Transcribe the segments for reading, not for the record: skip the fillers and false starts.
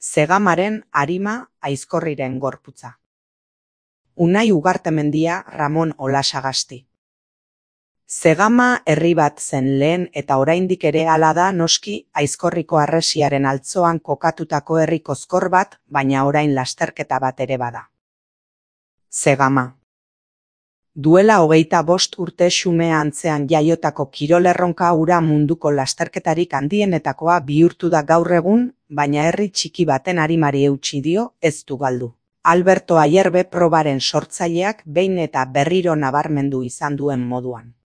Zegamaren arima Aizkorriren gorputza. Unai Ugartemendia Ramon Olasagasti. Zegama herri bat zen lehen eta oraindik ere hala da noski Aizkorriko harresiaren altzoan kokatutako herri kozkor bat, baina orain lasterketa bat ere bada. Zegama. Duela 25 urte Xume antzean jaiotako kirolerronka hura munduko lasterketarik handienetakoa bihurtu da gaur egun, baina herri txiki baten arimari eutsi dio, ez du galdu. Alberto Ayerbe probaren sortzaileak behin eta berriro nabarmendu izan duen moduan.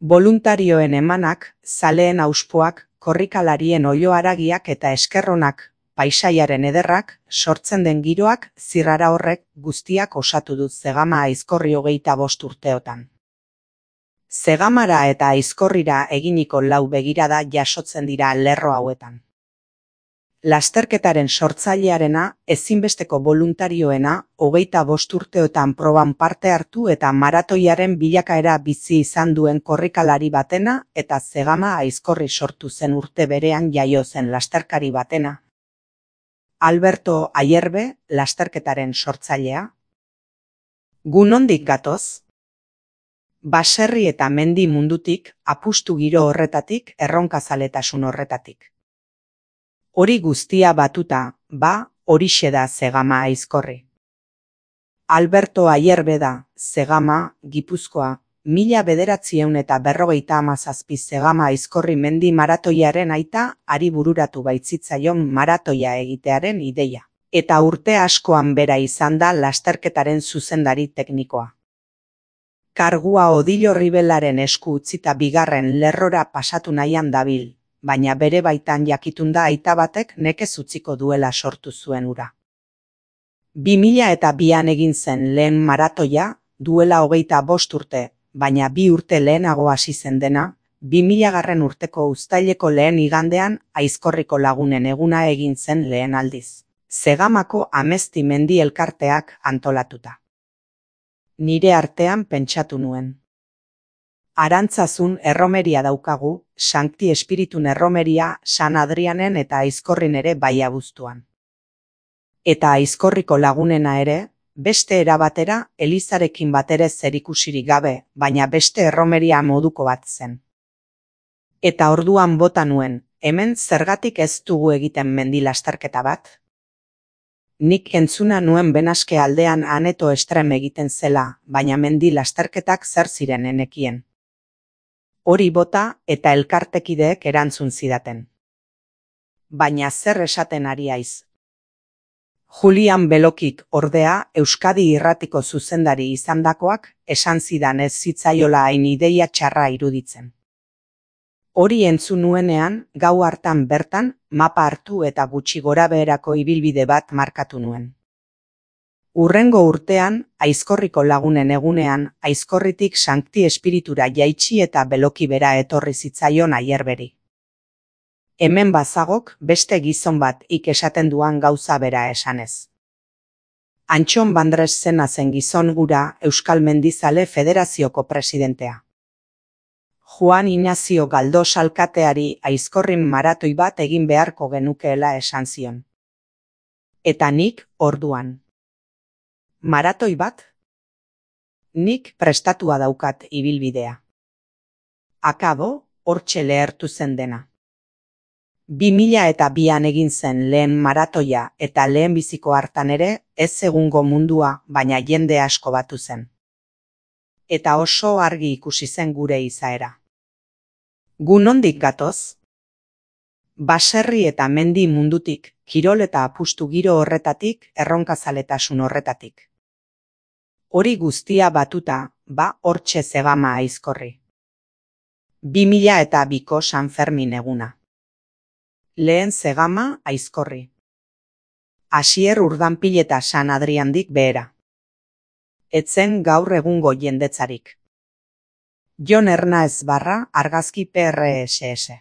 Boluntarioen emanak, zaleen auspoak, korrikalarien oiloaragiak eta eskerronak, paisaiaren ederrak, sortzen den giroak, zirrara horrek guztiak osatu du Zegama Aizkorri 25 urteotan. Zegamara eta Aizkorrira eginiko 4 begirada jasotzen dira lerro hauetan. Lasterketaren sortzailearena, ezinbesteko boluntarioena, 25 urteotan proban parte hartu eta maratoiaren bilakaera bizi izan duen korrikalari batena eta Zegama Aizkorri sortu zen urte berean jaio zen lasterkari batena. Alberto Ayerbe, lasterketaren sortzailea. Gu nondik gatoz? Baserri eta mendi mundutik, apustu giro horretatik, erronkazaletasun horretatik. Hori guztia batuta, horixe da Zegama Aizkorri. Alberto Ayerbe da, Zegama, Gipuzkoa, 1957 Zegama Aizkorri mendi maratoiaren aita, ari bururatu baitzitzaion maratoia egitearen ideia. Eta urte askoan bera izan da lasterketaren zuzendari teknikoa. Kargua Odilo Ribelaren esku utzita bigarren lerrora pasatu nahian dabil, baina bere baitan jakitunda aita batek nekez utziko duela sortu zuen hura. 2002an egin zen lehen maratoia, duela 25 urte, baina 2 urte lehenago hasi zen dena, 2000 urteko uztaileko lehen igandean Aizkorriko lagunen eguna egin zen lehen aldiz. Zegamako Amezti mendi elkarteak antolatuta. Nire artean pentsatu nuen. Arantzazun erromeria daukagu, Sankti Espiritun erromeria San Adrianen eta Aizkorrin ere bai abuztuan. Eta Aizkorriko lagunena ere, beste erabatera Elizarekin batere zerikusirik gabe, baina beste erromeria moduko bat zen. Eta orduan bota nuen, hemen zergatik ez dugu egiten mendi lasterketa bat? Nik entzuna nuen Benaske aldean Aneto Estrem egiten zela, baina mendi lasterketak zer ziren enekien. Hori bota eta elkartekideek erantzun zidaten. Baina zer esaten ari haiz? Julian Belokik ordea Euskadi Irratiko zuzendari izandakoak esan zidan ez zitzaiola hain ideia txarra iruditzen. Hori entzun nuenean, gau hartan bertan, mapa hartu eta gutxi gorabeherako ibilbide bat markatu nuen. Hurrengo urtean, Aizkorriko lagunen egunean, Aizkorritik Sankti Espiritura jaitsi eta Beloki bera etorri zitzaion Ayerberi. Hemen bazagok beste gizon bat esaten duan gauza bera esanez. Antxon Bandres zena zen gizon gura Euskal Mendizale Federazioko presidentea. Juan Ignacio Galdos alkateari Aizkorrin maratoi bat egin beharko genukeela esan zion. Eta nik orduan. Maratoi bat? Nik prestatua daukat ibilbidea. Akabo, hortxe lehertu zen dena. 2002an egin zen lehen maratoia eta lehenbiziko hartan ere ez egungo mundua, baina jende asko batu zen. Eta oso argi ikusi zen gure izaera. Gu nondik gatoz? Baserri eta mendi mundutik, kirol eta apustu giro horretatik, erronkazaletasun horretatik. Hori guztia batuta, hortxe Zegama Aizkorri. 2002ko San Fermin eguna. Lehen Zegama Aizkorri. Asier Urdanpil eta San Adriandik behera. Etzen gaur egungo jendetzarik. Jon Hernaez barra argazki PRSS.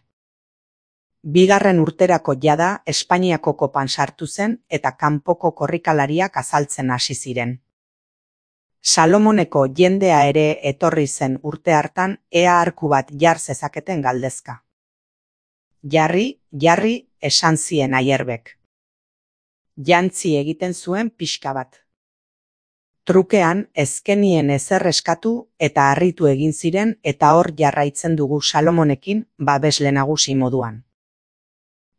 Bigarren urterako jada Espainiako kopan sartu zen eta kanpoko korrikalariak azaltzen hasi ziren. Salomoneko jendea ere etorri zen urte hartan ea arku bat jar zezaketen galdezka. Jarri, esan zien Ayerbek. Jantzi egiten zuen pixka bat. Trukean ezkenien ezer eskatu eta harritu egin ziren eta hor jarraitzen dugu Salomonekin babesle nagusi moduan.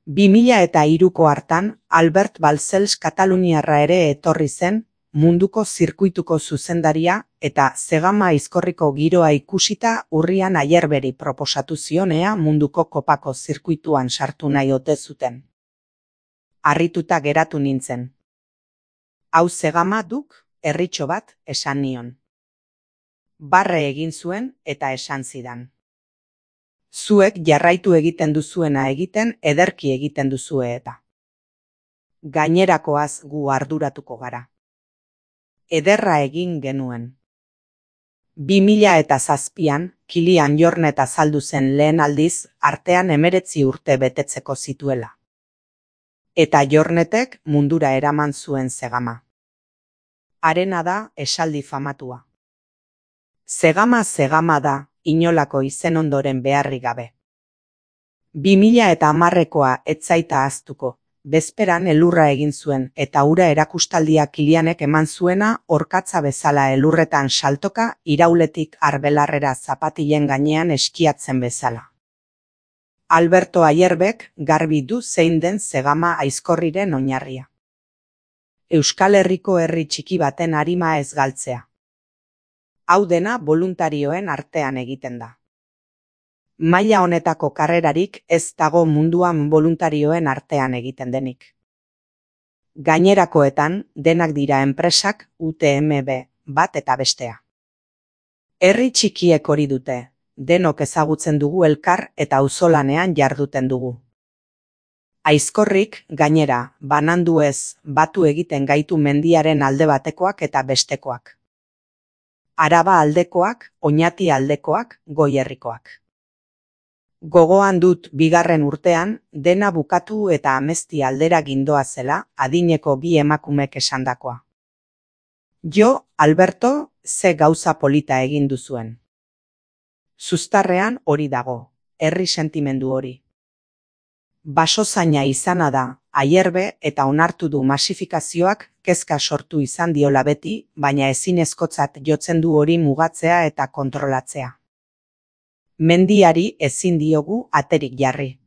2003ko hartan Albert Balcells Kataluniarra ere etorri zen, munduko zirkuituko zuzendaria eta Zegama aizkorriko giroa ikusita urrian Ayerberi proposatu zion ea munduko kopako zirkuituan sartu nahi ote zuten. Harrituta geratu nintzen. Hau Zegama duk, herritxo bat, esan nion. Barre egin zuen eta esan zidan. Zuek jarraitu egiten duzuena egiten ederki egiten duzue eta. Gainerakoaz gu arduratuko gara. Ederra egin genuen. 2007an, Kilian Jornet azaldu zen lehen aldiz artean 19 urte betetzeko zituela. Eta Jornetek mundura eraman zuen Zegama. Harena da esaldi famatua. Zegama da, inolako izen ondoren beharri gabe. 2010koa etzaita ahaztuko, bezperan elurra egin zuen eta ura erakustaldia Kilianek eman zuena orkatza bezala elurretan saltoka irauletik arbelarrera zapatilen gainean eskiatzen bezala. Alberto Ayerbek garbi du zein den Zegama aizkorriren oinarria. Euskal Herriko herri txiki baten arima ez galtzea. Hau dena boluntarioen artean egiten da. Maila honetako karrerarik ez dago munduan boluntarioen artean egiten denik. Gainerakoetan denak dira enpresak UTMB bat eta bestea. Herri txikiek hori dute, denok ezagutzen dugu elkar eta auzolanean jarduten dugu. Aizkorrik, gainera, banandu ez, batu egiten gaitu mendiaren alde batekoak eta bestekoak. Araba aldekoak, Oñati aldekoak, Goierrikoak. Gogoan dut bigarren urtean, dena bukatu eta amezti aldera gindoa zela, adineko bi emakumek esandakoa. Jo, Alberto, ze gauza polita egin duzuen. Zuztarrean hori dago, herri sentimendu hori. Basozaina izana da, Ayerbe eta onartu du masifikazioak kezka sortu izan diola beti, baina ezinezkotzat jotzen du hori mugatzea eta kontrolatzea. Mendiari ezin diogu aterik jarri.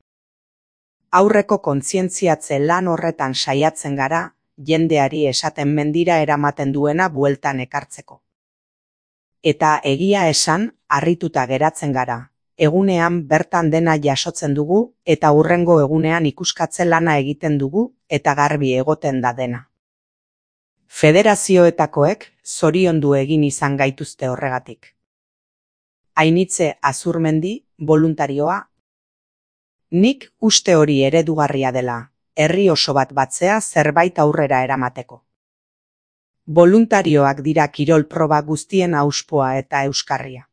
Aurreko kontzientziatze lan horretan saiatzen gara, jendeari esaten mendira eramaten duena bueltan ekartzeko. Eta egia esan, harrituta geratzen gara. Egunean bertan dena jasotzen dugu eta hurrengo egunean ikuskatze lana egiten dugu eta garbi egoten da dena. Federazioetakoek zoriondu egin izan gaituzte horregatik. Ainitze Azurmendi, voluntarioa. Nik uste hori eredugarria dela, herri oso bat batzea zerbait aurrera eramateko. Voluntarioak dira kirol proba guztien auspoa eta euskarria.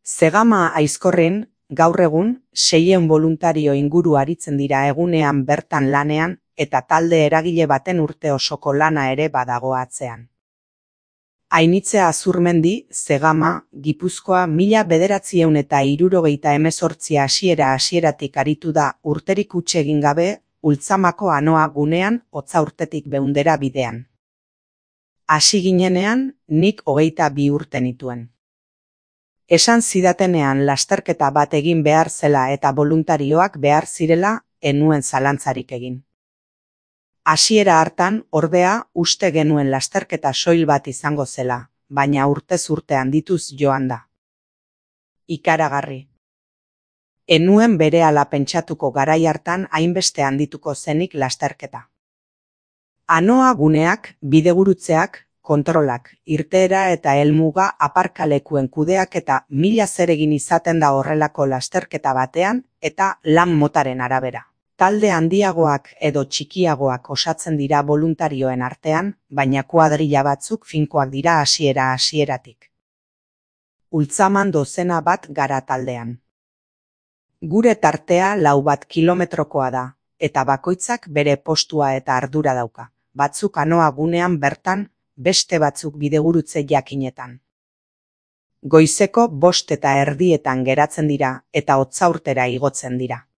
Zegama aizkorren, gaur egun, 600 voluntario inguru aritzen dira egunean bertan lanean eta talde eragile baten urte osoko lana ere badago atzean. Ainitze Azurmendi, Zegama, Gipuzkoa 1978 hasieratik aritu da urterik huts egin gabe, Ultzamako Anoa gunean hotza urtetik 100 bidean. Hasi ginenean, nik 22 urte nituen. Esan zidatenean lasterketa bat egin behar zela eta voluntarioak behar zirela, enuen zalantzarik egin. Hasiera hartan, ordea, uste genuen lasterketa soil bat izango zela, baina urtez urte handituz joan da. Ikaragarri. Enuen berehala pentsatuko garai hartan hainbeste handituko zenik lasterketa. Anoa guneak, bidegurutzeak, kontrolak, irteera eta helmuga aparkalekuen kudeak eta 1000 zeregin izaten da horrelako lasterketa batean eta lan motaren arabera. Talde handiagoak edo txikiagoak osatzen dira voluntarioen artean, baina kuadrilla batzuk finkoak dira hasieratik. Ultzaman dozena bat gara taldean. Gure tartea 4 kilometrokoa da, eta bakoitzak bere postua eta ardura dauka. Batzuk Anoa gunean bertan, beste batzuk bidegurutze jakinetan. Goizeko 5:30 geratzen dira eta hotzaurtera igotzen dira.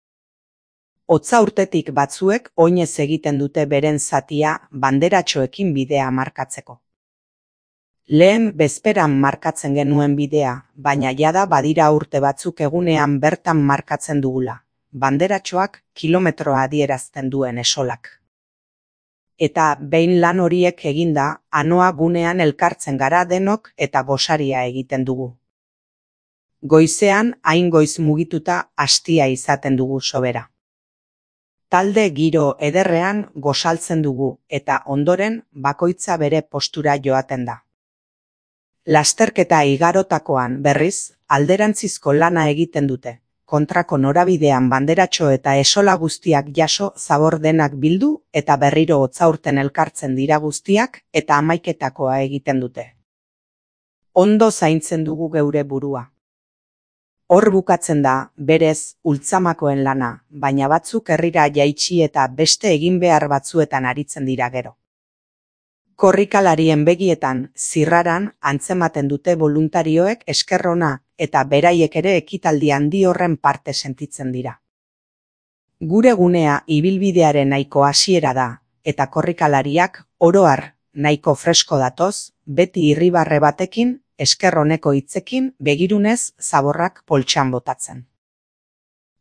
Hotza urtetik batzuek oinez egiten dute beren zatia banderatxoekin bidea markatzeko. Lehen bezperan markatzen genuen bidea, baina jada badira urte batzuk egunean bertan markatzen dugula. Banderatxoak kilometroa adierazten duen esolak. Eta behin lan horiek eginda, anoa gunean elkartzen gara denok eta gosaria egiten dugu. Goizean hain goiz mugituta astia izaten dugu sobera. Talde giro ederrean gosaltzen dugu eta ondoren bakoitza bere postura joaten da. Lasterketa igarotakoan berriz alderantzizko lana egiten dute. Kontrako norabidean banderatxo eta esola guztiak jaso zabor denak bildu eta berriro hotzaurten elkartzen dira guztiak eta hamaiketakoa egiten dute. Ondo zaintzen dugu geure burua. Hor bukatzen da, berez, ultzamakoen lana, baina batzuk herrira jaitsi eta beste egin behar batzuetan aritzen dira gero. Korrikalarien begietan, zirraran, antzematen dute voluntarioek esker ona eta beraiek ere ekitaldi handi horren parte sentitzen dira. Gure gunea ibilbidearen nahiko hasiera da, eta korrikalariak oro har nahiko fresko datoz, beti irribarre batekin, esker oneko hitzekin begirunez zaborrak poltsan botatzen.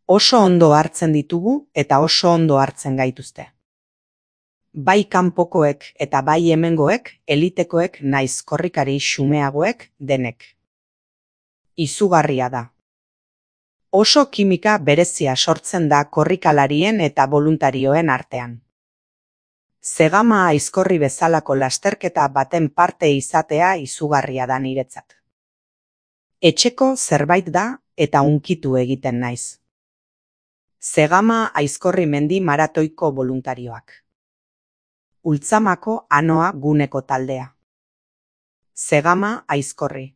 Oso ondo hartzen ditugu eta oso ondo hartzen gaituzte. Bai kanpokoek eta bai hemengoek, elitekoek naiz korrikari xumeagoek denek. Izugarria da. Oso kimika berezia sortzen da korrikalarien eta voluntarioen artean. Zegama aizkorri bezalako lasterketa baten parte izatea izugarria da niretzat. Etxeko zerbait da eta hunkitu egiten naiz. Zegama aizkorri mendi maratoiko voluntarioak. Ultzamako anoa guneko taldea. Zegama aizkorri.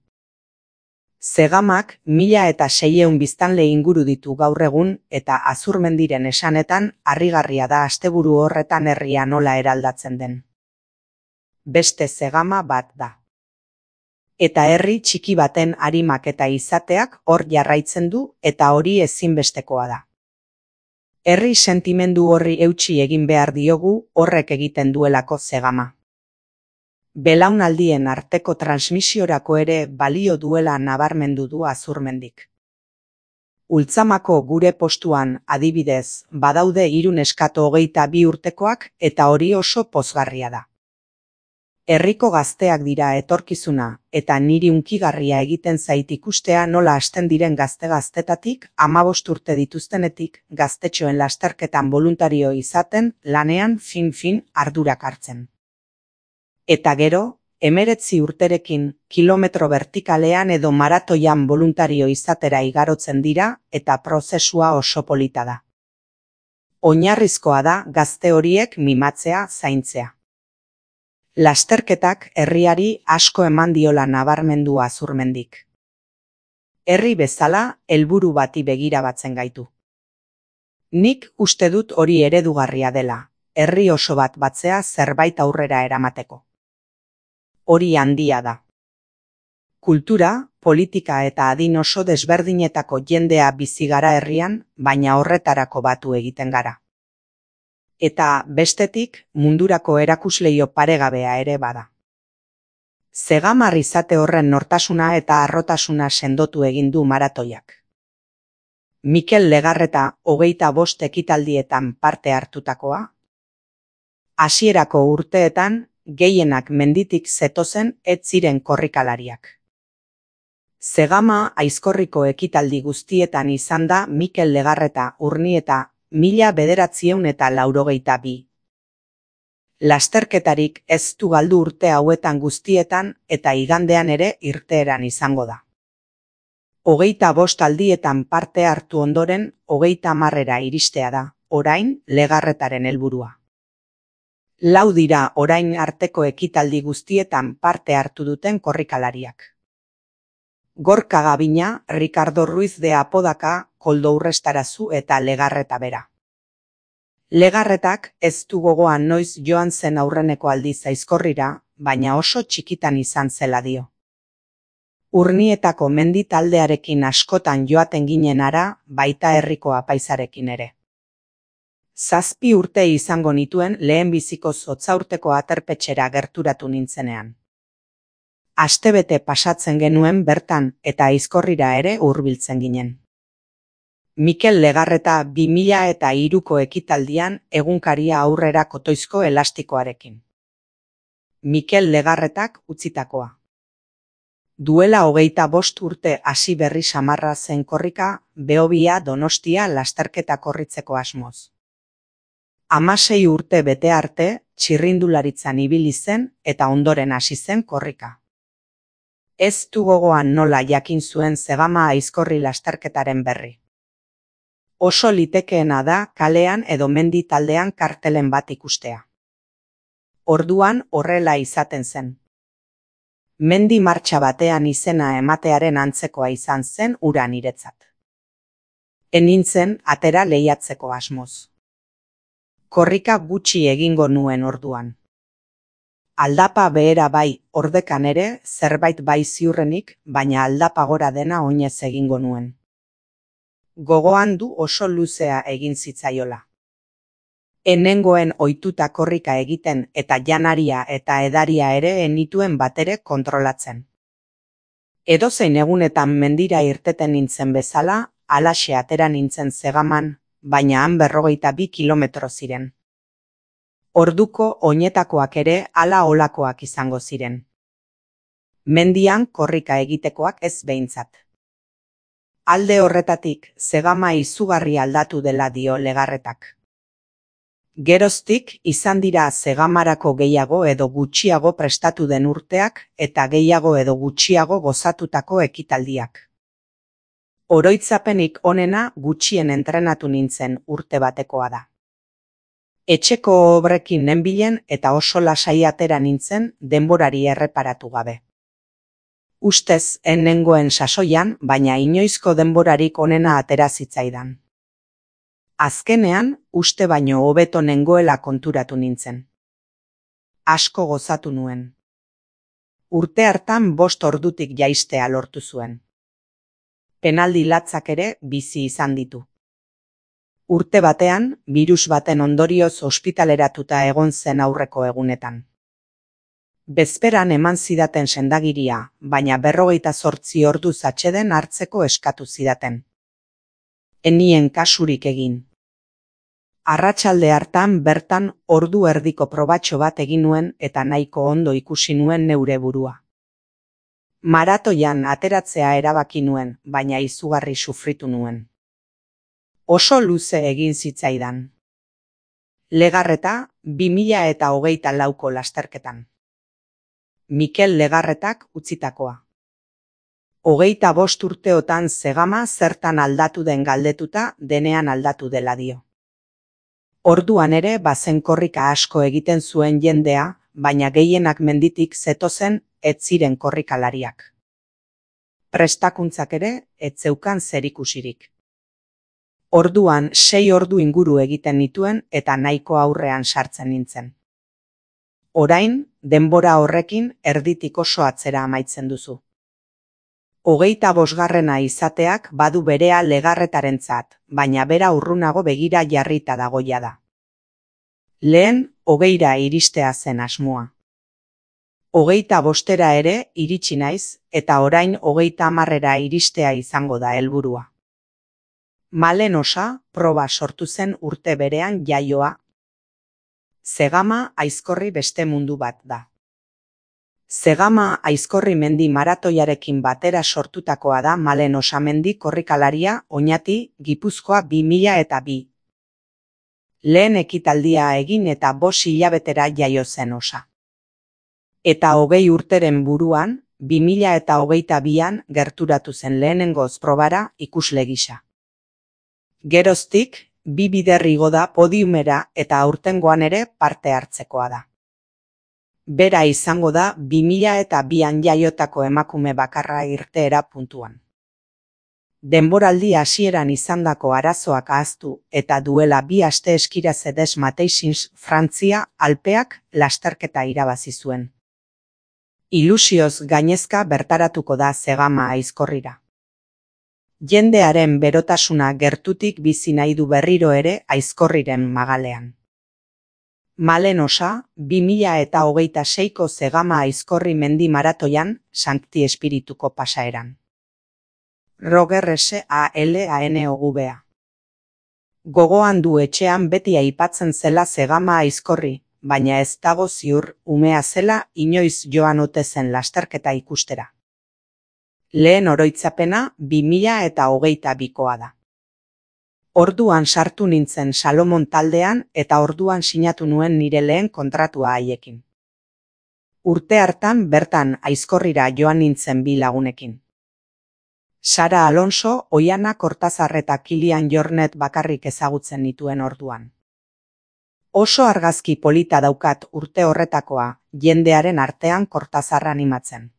Zegamak 1600 biztanle inguru ditu gaur egun eta Azurmendiren esanetan harrigarria da asteburu horretan herria nola eraldatzen den. Beste zegama bat da. Eta herri txiki baten arimak eta izateak hor jarraitzen du eta hori ezinbestekoa da. Herri sentimendu horri eutsi egin behar diogu horrek egiten duelako zegama. Belaunaldien arteko transmisiorako ere balio duela nabarmendu du Azurmendik. Ultzamako gure postuan adibidez badaude 3 neskato 22 urtekoak eta hori oso pozgarria da. Herriko gazteak dira etorkizuna eta niri hunkigarria egiten zait ikustea nola hasten diren gazte-gaztetatik 15 urte dituztenetik gaztetxoen lasterketan voluntario izaten lanean fin ardurak hartzen. Eta gero, 19 urterekin kilometro vertikalean edo maratoian voluntario izatera igarotzen dira eta prozesua oso polita da. Oinarrizkoa da gazte horiek mimatzea, zaintzea. Lasterketak herriari asko eman diola nabarmendu Azurmendik. Herri bezala helburu bati begira batzen gaitu. Nik uste dut hori eredugarria dela, herri oso bat batzea zerbait aurrera eramateko. Hori handia da. Kultura, politika eta adin oso desberdinetako jendea bizi gara herrian, baina horretarako batu egiten gara. Eta bestetik mundurako erakusleio paregabea ere bada. Zegamar izate horren nortasuna eta harrotasuna sendotu egin du maratoiak. Mikel Legarreta 25 ekitaldietan parte hartutakoa. Hasierako urteetan gehienak menditik zetozen ez ziren korrikalariak. Zegama aizkorriko ekitaldi guztietan izan da Mikel Legarreta Urnieta 1982. Lasterketarik ez du galdu urte hauetan guztietan eta igandean ere irteeran izango da. 25 aldietan parte hartu ondoren 30 iristea da, orain Legarretaren helburua. 4 dira orain arteko ekitaldi guztietan parte hartu duten korrikalariak. Gorka Gabina, Ricardo Ruiz de Apodaca, Koldo Urrestarazu eta Legarreta bera. Legarretak ez du gogoan noiz joan zen aurreneko aldiz aizkorrira, baina oso txikitan izan zela dio. Urnietako mendi taldearekin askotan joaten ginen ara, baita herriko apaizarekin ere. 7 urte izango nituen lehenbiziko hotzaurteko aterpetxera gerturatu nintzenean. Astebete pasatzen genuen bertan eta Aizkorrira ere hurbiltzen ginen. Mikel Legarreta 2003ko ekitaldian egunkaria aurrera kotoizko elastikoarekin. Mikel Legarretak utzitakoa. Duela 25 urte hasi berri samarra zen korrika Behobia Donostia lasterketa korritzeko asmoz. 16 urte bete arte txirrindularitzan ibili zen eta ondoren hasi zen korrika. Ez du gogoan nola jakin zuen Zegama Aizkorri lasterketaren berri. Oso litekeena da kalean edo mendi taldean kartelen bat ikustea. Orduan horrela izaten zen. Mendi martxa batean izena ematearen antzekoa izan zen hura niretzat. Enintzen atera lehiatzeko asmoz. Korrika gutxi egingo nuen orduan. Aldapa behera bai, ordekan ere zerbait bai ziurrenik, baina aldapa gora dena oinez egingo nuen. Gogoan du oso luzea egin zitzaiola. Enengoen ohituta korrika egiten eta janaria eta edaria ere enituen batere kontrolatzen. Edozein egunetan mendira irteten nintzen bezala, halaxe atera nintzen Zegaman, baina han 52 kilometro ziren. Orduko oinetakoak ere hala olakoak izango ziren. Mendian korrika egitekoak ez behintzat. Alde horretatik, Zegama izugarri aldatu dela dio Legarretak. Geroztik izan dira Zegamarako gehiago edo gutxiago prestatu den urteak eta gehiago edo gutxiago gozatutako ekitaldiak. Oroitzapenik onena gutxien entrenatu nintzen urte batekoa da. Etxeko obrekin nenbilen eta oso lasai atera nintzen denborari erreparatu gabe. Ustez enengoen sasoian, baina inoizko denborarik onena atera zitzaidan. Azkenean, uste baino hobeto nengoela konturatu nintzen. Asko gozatu nuen. Urte hartan 5 ordutik jaistea lortu zuen. Penaldi latzak ere bizi izan ditu. Urte batean, birus baten ondorioz ospitaleratuta egon zen aurreko egunetan. Bezperan eman zidaten sendagiria, baina 48 orduz atseden hartzeko eskatu zidaten. Enien kasurik egin. Arratsalde hartan bertan ordu erdiko probatxo bat egin nuen eta nahiko ondo ikusi nuen neure burua. Maratoian ateratzea erabaki nuen, baina izugarri sufritu nuen. Oso luze egin zitzaidan. Legarreta 2024ko lasterketan. Mikel Legarretak utzitakoa. 25 urteotan Zegama zertan aldatu den galdetuta denean aldatu dela dio. Orduan ere bazen korrika asko egiten zuen jendea, baina gehienak menditik zetozen ez ziren korrikalariak. Prestakuntzak ere ez zeukan zerikusirik. Orduan 6 ordu inguru egiten nituen eta nahiko aurrean sartzen nintzen. Orain, denbora horrekin erditik oso atzera amaitzen duzu. 25garrena izateak badu berea Legarretarentzat, baina bera urrunago begira jarrita dagoia da. Lehen, 20ra iristea zen asmoa. 25era ere iritsi naiz, eta orain 30ra iristea izango da helburua. Malen osa, proba sortu zen urte berean jaioa. Zegama Aizkorri beste mundu bat da. Zegama Aizkorri mendi maratoiarekin batera sortutakoa da Malen osamendi korrikalaria Oñati, Gipuzkoa 2002. Lehen ekitaldia egin eta 5 hilabetera jaio zen osa. Eta 20 urteren buruan, 2022an gerturatu zen lehenengoz probara ikusle gisa. Geroztik, 2 bider igo da podiumera eta aurtengoan ere parte hartzekoa da. Bera izango da 2002an jaiotako emakume bakarra irteera puntuan. Denboraldi hasieran izandako arazoak ahaztu eta duela 2 aste eskira Cedes Mateixins Frantzia Alpeak lasterketa irabazi zuen. Ilusioz gainezka bertaratuko da Zegama Aizkorrira. Jendearen berotasuna gertutik bizi nahi du berriro ere Aizkorriren magalean. Malen Osa, 2026ko Zegama Aizkorri mendi maratoian, Sankti Espirituko pasaeran. Roger SALANOVA. Gogoan du etxean beti aipatzen zela Zegama Aizkorri, baina ez dago ziur umea zela inoiz joan ote zen lasterketa ikustera. Lehen oroitzapena 2022koa da. Orduan sartu nintzen Salomon taldean eta orduan sinatu nuen nire lehen kontratua haiekin. Urte hartan bertan Aizkorrira joan nintzen 2 lagunekin. Sara Alonso, Oiana Kortazar eta Kilian Jornet bakarrik ezagutzen nituen orduan. Oso argazki polita daukat urte horretakoa, jendearen artean Kortazarra animatzen.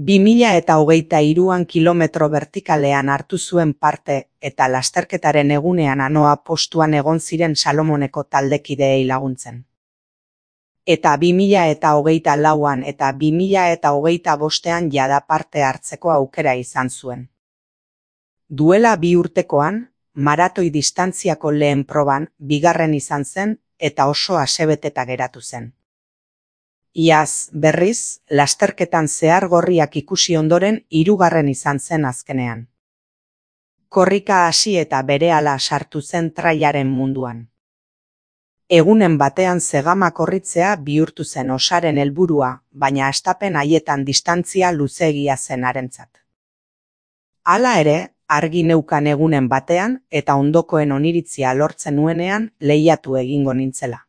2023an kilometro bertikalean hartu zuen parte eta lasterketaren egunean anoa postuan egon ziren Salomoneko taldekideei laguntzen. Eta 2024an eta 2025an jada parte hartzeko aukera izan zuen. Duela 2 urtekoan, maratoi distantziako lehen proban, 2. izan zen eta oso asebeteta geratu zen. Iaz, berriz, lasterketan zehar gorriak ikusi ondoren 3. izan zen azkenean. Korrika hasi eta berehala sartu zen trailaren munduan. Egunen batean Zegama korritzea bihurtu zen Osaren helburua, baina hastapen haietan distantzia luzeegia zen harentzat. Hala ere, argi neukan egunen batean eta ondokoen oniritzia lortzen nuenean lehiatu egingo nintzela.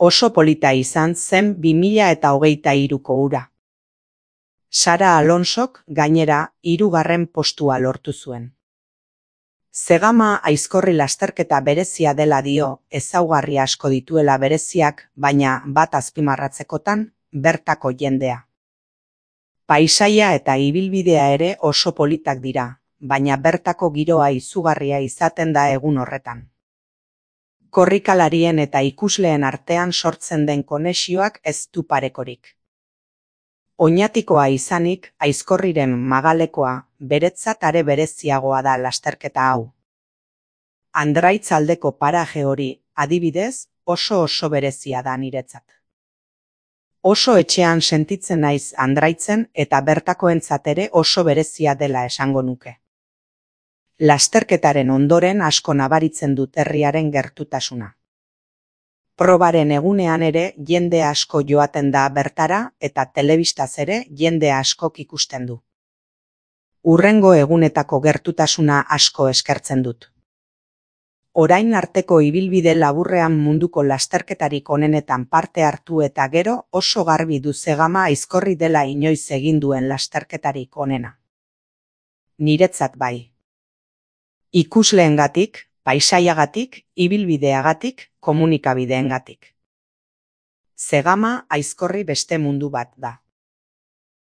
Oso polita izan zen 2023ko ura. Sara Alonsok gainera 3. postua lortu zuen. Zegama Aizkorri lasterketa berezia dela dio, ezaugarri asko dituela bereziak, baina bat azpimarratzekotan, bertako jendea. Paisaia eta ibilbidea ere oso politak dira, baina bertako giroa izugarria izaten da egun horretan. Korrikalarien eta ikusleen artean sortzen den konexioak ez du parekorik. Oñatikoa izanik, Aizkorriren magalekoa, beretzat are bereziagoa da lasterketa hau. Andraitz aldeko paraje hori, adibidez, oso berezia da niretzat. Oso etxean sentitzen naiz Andraitzen eta bertakoentzat ere oso berezia dela esango nuke. Lasterketaren ondoren asko nabaritzen dut herriaren gertutasuna. Probaren egunean ere jende asko joaten da bertara eta telebistaz ere jende askok ikusten du. Hurrengo egunetako gertutasuna asko eskertzen dut. Orain arteko ibilbide laburrean munduko lasterketarik onenetan parte hartu eta gero oso garbi du Zegama Aizkorri dela inoiz egin duen lasterketarik onena. Niretzat bai. Ikusleengatik, paisaiagatik, ibilbideagatik, komunikabideengatik. Zegama Aizkorri beste mundu bat da.